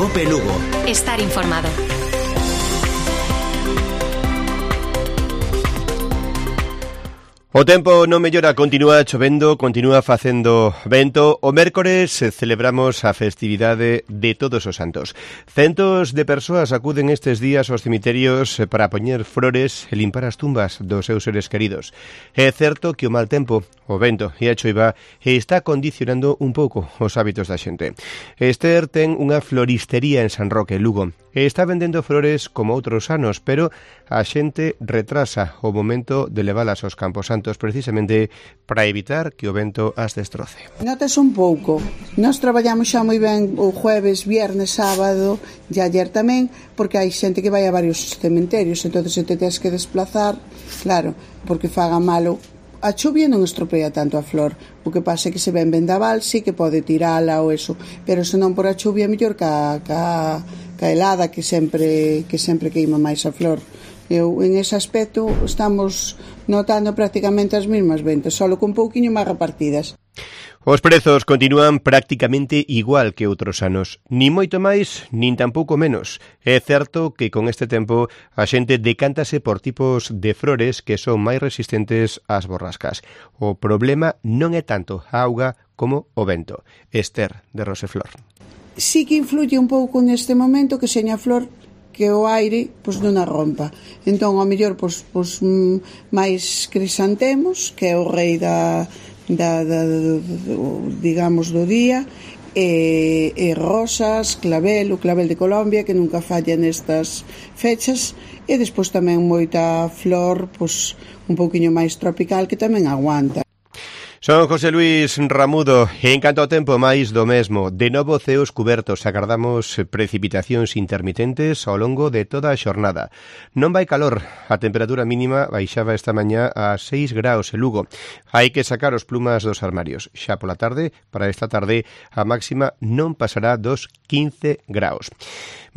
Cope Lugo. Estar informado. O tempo non mellora, continúa chovendo, continúa facendo vento. O mércores celebramos a festividade de Todos os Santos. Centos de persoas acuden estes días aos cemiterios para poñer flores e limpar as tumbas dos seus seres queridos. É certo que o mal tempo, o vento e a choiva está condicionando un pouco os hábitos da xente. Esther ten unha floristería en San Roque, Lugo, e está vendendo flores como outros anos, pero a xente retrasa o momento de leválas aos Campos Santos precisamente para evitar que o vento as destroce. Notas un pouco. Nós traballamos xa moi ben o jueves, viernes, sábado e ayer tamén, porque hai xente que vai a varios cementerios, entonces se te tens que desplazar, claro, porque faga malo. A chuvia non estropea tanto a flor, o que pasa é que se ven vendaval sí que pode tirala ou eso, pero senón por a chuvia mellor ca helada que sempre queima máis a flor. Eu, en ese aspecto, estamos notando prácticamente as mesmas ventas, só con pouquiño máis repartidas. Os prezos continúan prácticamente igual que outros anos, nin moito máis, nin tampouco menos. É certo que con este tempo a xente decántase por tipos de flores que son máis resistentes ás borrascas. O problema non é tanto a auga como o vento. Esther, de Roseflor. Sí que influye un pouco neste momento que seña flor que o aire non a rompa. Entón, ao mellor, máis crisantemos, que é o rei digamos do día, e rosas, clavel, o clavel de Colombia, que nunca falla nestas fechas, e despois tamén moita flor, un pouquiño máis tropical, que tamén aguanta. Son José Luis Ramudo, e en canto ao tempo máis do mesmo, de novo ceos cubertos, agardamos precipitacións intermitentes ao longo de toda a xornada. Non vai calor, a temperatura mínima baixaba esta mañá a 6 graus en Lugo. Hai que sacar os plumas dos armarios. Xa pola tarde, para esta tarde, a máxima non pasará dos 15 graus.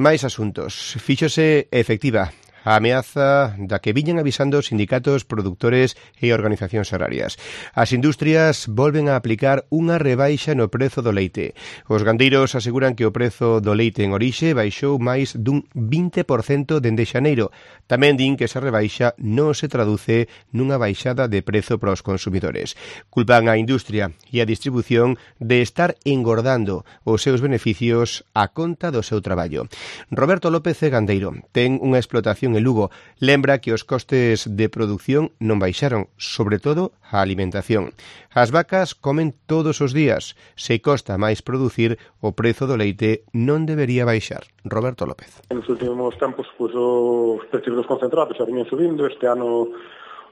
Máis asuntos. Fíxose efectiva a ameaza da que viñan avisando os sindicatos, produtores e organizacións agrarias. As industrias volven a aplicar unha rebaixa no prezo do leite. Os gandeiros aseguran que o prezo do leite en orixe baixou máis dun 20% dende xaneiro. Tamén din que esa rebaixa non se traduce nunha baixada de prezo para os consumidores. Culpan a industria e a distribución de estar engordando os seus beneficios a conta do seu traballo. Roberto López é gandeiro. Ten unha explotación en Lugo. Lembra que os costes de produción non baixaron, sobre todo a alimentación. As vacas comen todos os días. Se costa máis producir, o prezo do leite non debería baixar. Roberto López. En os últimos tempos, os precios dos concentrados xa viñen subindo. Este ano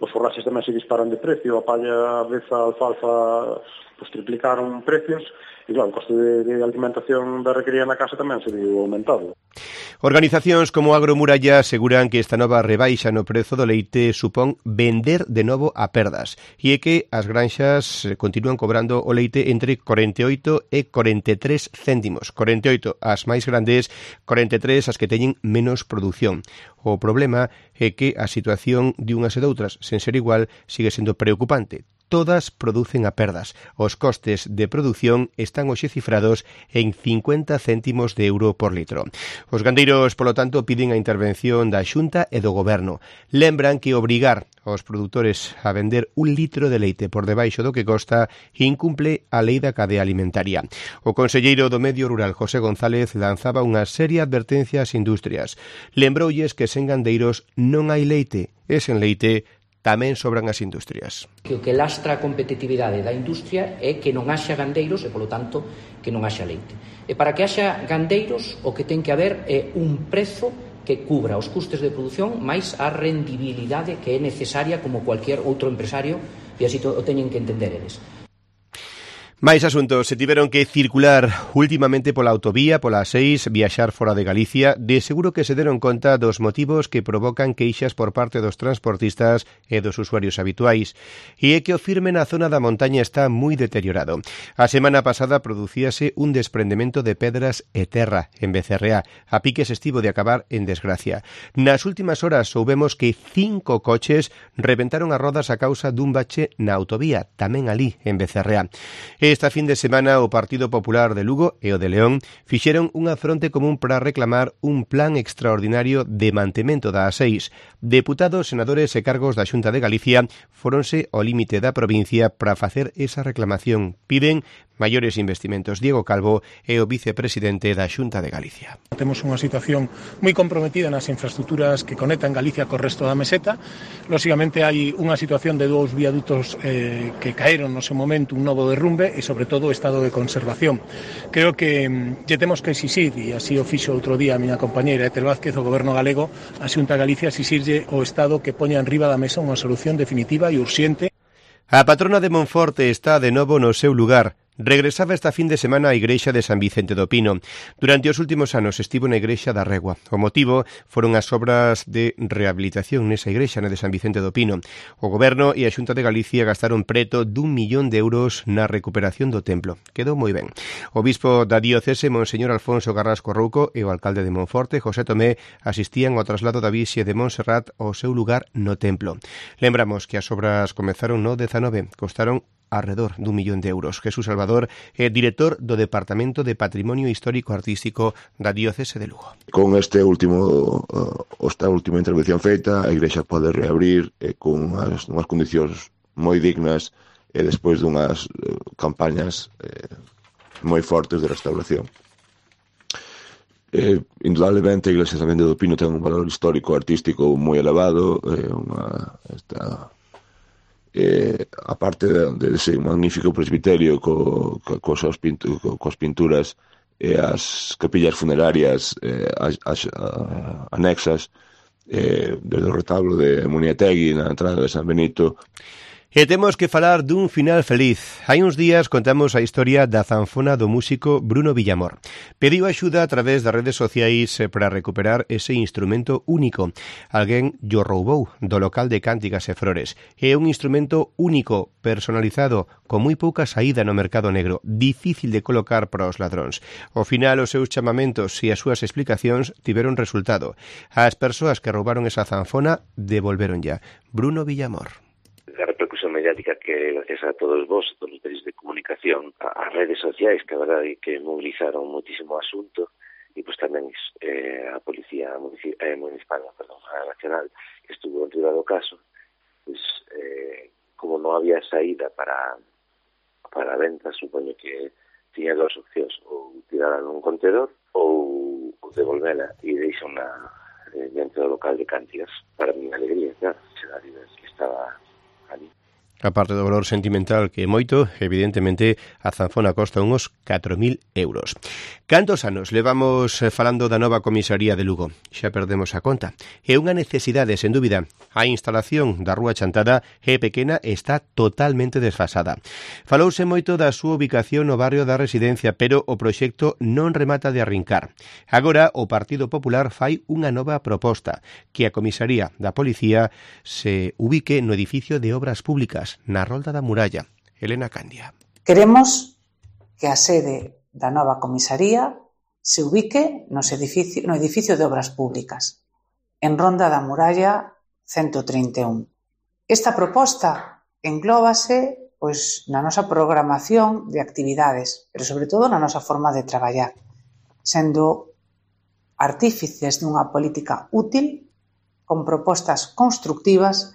os forraxes tamén se disparan de precio. A palla, a aveza, a alfalfa triplicaron precios. E claro, o coste de alimentación da requerida na casa tamén se viu aumentado. Organizacións como Agromuralla aseguran que esta nova rebaixa no prezo do leite supón vender de novo a perdas e é que as granxas continúan cobrando o leite entre 48 e 43 céntimos. 48 as máis grandes, 43 as que teñen menos produción. O problema é que a situación de unhas e doutras, sen ser igual, sigue sendo preocupante. Todas producen a perdas. Os costes de produción están hoxe cifrados en 50 céntimos de euro por litro. Os gandeiros, polo tanto, piden a intervención da Xunta e do Goberno. Lembran que obrigar aos produtores a vender un litro de leite por debaixo do que costa incumple a lei da cadea alimentaria. O conselleiro do Medio Rural, José González, lanzaba unha seria advertencia ás industrias. Lembroulles que sen gandeiros non hai leite e sen leite tamén sobran as industrias. Que o que lastra a competitividade da industria é que non haxa gandeiros e, polo tanto, que non haxa leite. E para que haxa gandeiros, o que ten que haber é un prezo que cubra os custes de produción máis a rendibilidade que é necesaria como cualquier outro empresario, e así o teñen que entender eles. Máis asuntos. Se tiveron que circular últimamente pola autovía, pola 6, viaxar fora de Galicia, de seguro que se deron conta dos motivos que provocan queixas por parte dos transportistas e dos usuarios habituais. E é que o firme na zona da montaña está moi deteriorado. A semana pasada producíase un desprendemento de pedras e terra en Becerreá. A piques estivo de acabar en desgracia. Nas últimas horas soubemos que 5 coches rebentaron as rodas a causa dun bache na autovía, tamén ali en Becerreá. Esta fin de semana o Partido Popular de Lugo e o de León fixeron unha fronte común para reclamar un plan extraordinario de mantemento da A6. Deputados, senadores e cargos da Xunta de Galicia fóronse ao límite da provincia para facer esa reclamación. Piden maiores investimentos. Diego Calvo é o vicepresidente da Xunta de Galicia. Temos unha situación moi comprometida nas infraestructuras que conectan Galicia co resto da meseta. Lóxicamente hai unha situación de dous viadutos que caeron no seu momento, un novo derrumbe e sobre todo o estado de conservación. Creo que lle temos que exixir, e así o fixo outro día a miña compañeira Ethel Vázquez, o Goberno galego, a Xunta de Galicia, exixirlle ao Estado que poña enriba da mesa unha solución definitiva e urxente. A patrona de Monforte está de novo no seu lugar. Regresaba esta fin de semana á igrexa de San Vicente do Pino. Durante os últimos anos estivo na igrexa da Regua. O motivo foron as obras de rehabilitación nesa igrexa, na de San Vicente do Pino. O Goberno e a Xunta de Galicia gastaron preto d'1 millón de euros na recuperación do templo. Quedou moi ben. O bispo da diocese, Monseñor Alfonso Carrasco Rouco, e o alcalde de Monforte, José Tomé, asistían ao traslado da Virxe de Montserrat ao seu lugar no templo. Lembramos que as obras comezaron no 19, costaron alrededor d'1 millón de euros. Jesús Salvador é director do Departamento de Patrimonio Histórico Artístico da Diocese de Lugo. Con esta última intervención feita, a igrexa pode reabrir con unhas condicións moi dignas e despois dunhas campañas moi fortes de restauración. Indudablemente a iglesia de San Vicente do Pino ten un valor histórico artístico moi elevado, aparte de ese magnífico presbiterio coas pinturas e as capillas funerarias anexas, desde o retablo de Muniategui na entrada de San Benito. E temos que falar dun final feliz. Hai uns días contamos a historia da zanfona do músico Bruno Villamor. Pediu axuda a través das redes sociais para recuperar ese instrumento único. Alguén llo roubou do local de Cánticas e Flores. É un instrumento único, personalizado, con moi pouca saída no mercado negro, difícil de colocar para os ladróns. Ao final, os seus chamamentos e as súas explicacións tiveron resultado. As persoas que roubaron esa zanfona devolveron ya. Bruno Villamor. A repercusión mediática que gracias a todos vos, todos os medios de comunicación, as redes sociais, que a verdade que movilizaron muitísimo o asunto, e pois tamén a Policía Municipal, a Nacional, que estuvo en riba do caso, pois como non había saída para a venta, supoño que tiña dos opcións, ou tirala nun contenedor ou devolvela e deixala dentro do local de Cántigas. Para mi alegría, claro, que estaba ali. A parte do valor sentimental que é moito, evidentemente a zanfona costa uns 4.000 euros. Cantos anos levamos falando da nova comisaría de Lugo? Xa perdemos a conta. É unha necesidade, sen dúbida. A instalación da Rúa Chantada é pequena e está totalmente desfasada. Falouse moito da súa ubicación no barrio da Residencia, pero o proxecto non remata de arrincar. Agora o Partido Popular fai unha nova proposta, que a comisaría da Policía se ubique no edificio de Obras Públicas, na Rolda da Muralla. Elena Candia. Queremos que a sede da nova comisaría se ubique no edificio de Obras Públicas, en Ronda da Muralla 131. Esta proposta englóbase na nosa programación de actividades, pero sobre todo na nosa forma de traballar, sendo artífices dunha política útil, con propostas constructivas.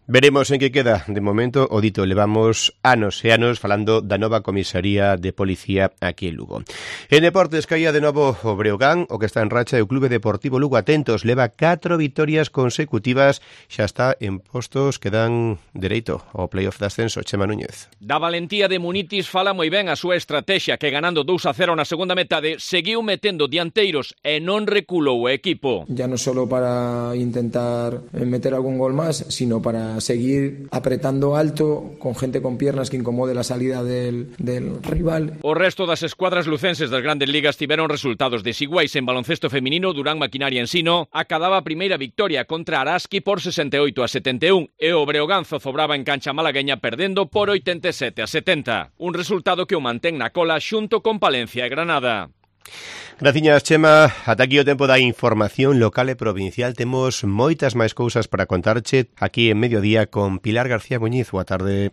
Veremos en que queda. De momento, o dito, levamos anos e anos falando da nova comisaría de policía aquí en Lugo. En deportes caía de novo o Breogán, o que está en racha, e o Clube Deportivo Lugo, atentos, leva 4 vitorias consecutivas, xa está en postos que dan dereito ao playoff de ascenso. Chema Núñez. Da valentía de Munitis fala moi ben a súa estrategia, que ganando 2-0 na segunda metade, seguiu metendo dianteiros e non reculou o equipo. Ya non só para intentar meter algún gol máis, sino para seguir apretando alto con gente con piernas que incomode la salida del rival. O resto das escuadras lucenses das grandes ligas tiveron resultados desiguais. En baloncesto feminino, Durán Maquinaria Ensino acadaba a primeira victoria contra Araski por 68-71 e o Breogán zozobraba en cancha malagueña perdendo por 87-70. Un resultado que o mantén na cola xunto con Palencia e Granada. Graciñas, Chema. Ata aquí o tempo da información local e provincial. Temos moitas máis cousas para contarche aquí en Mediodía con Pilar García Muñiz. Boa tarde.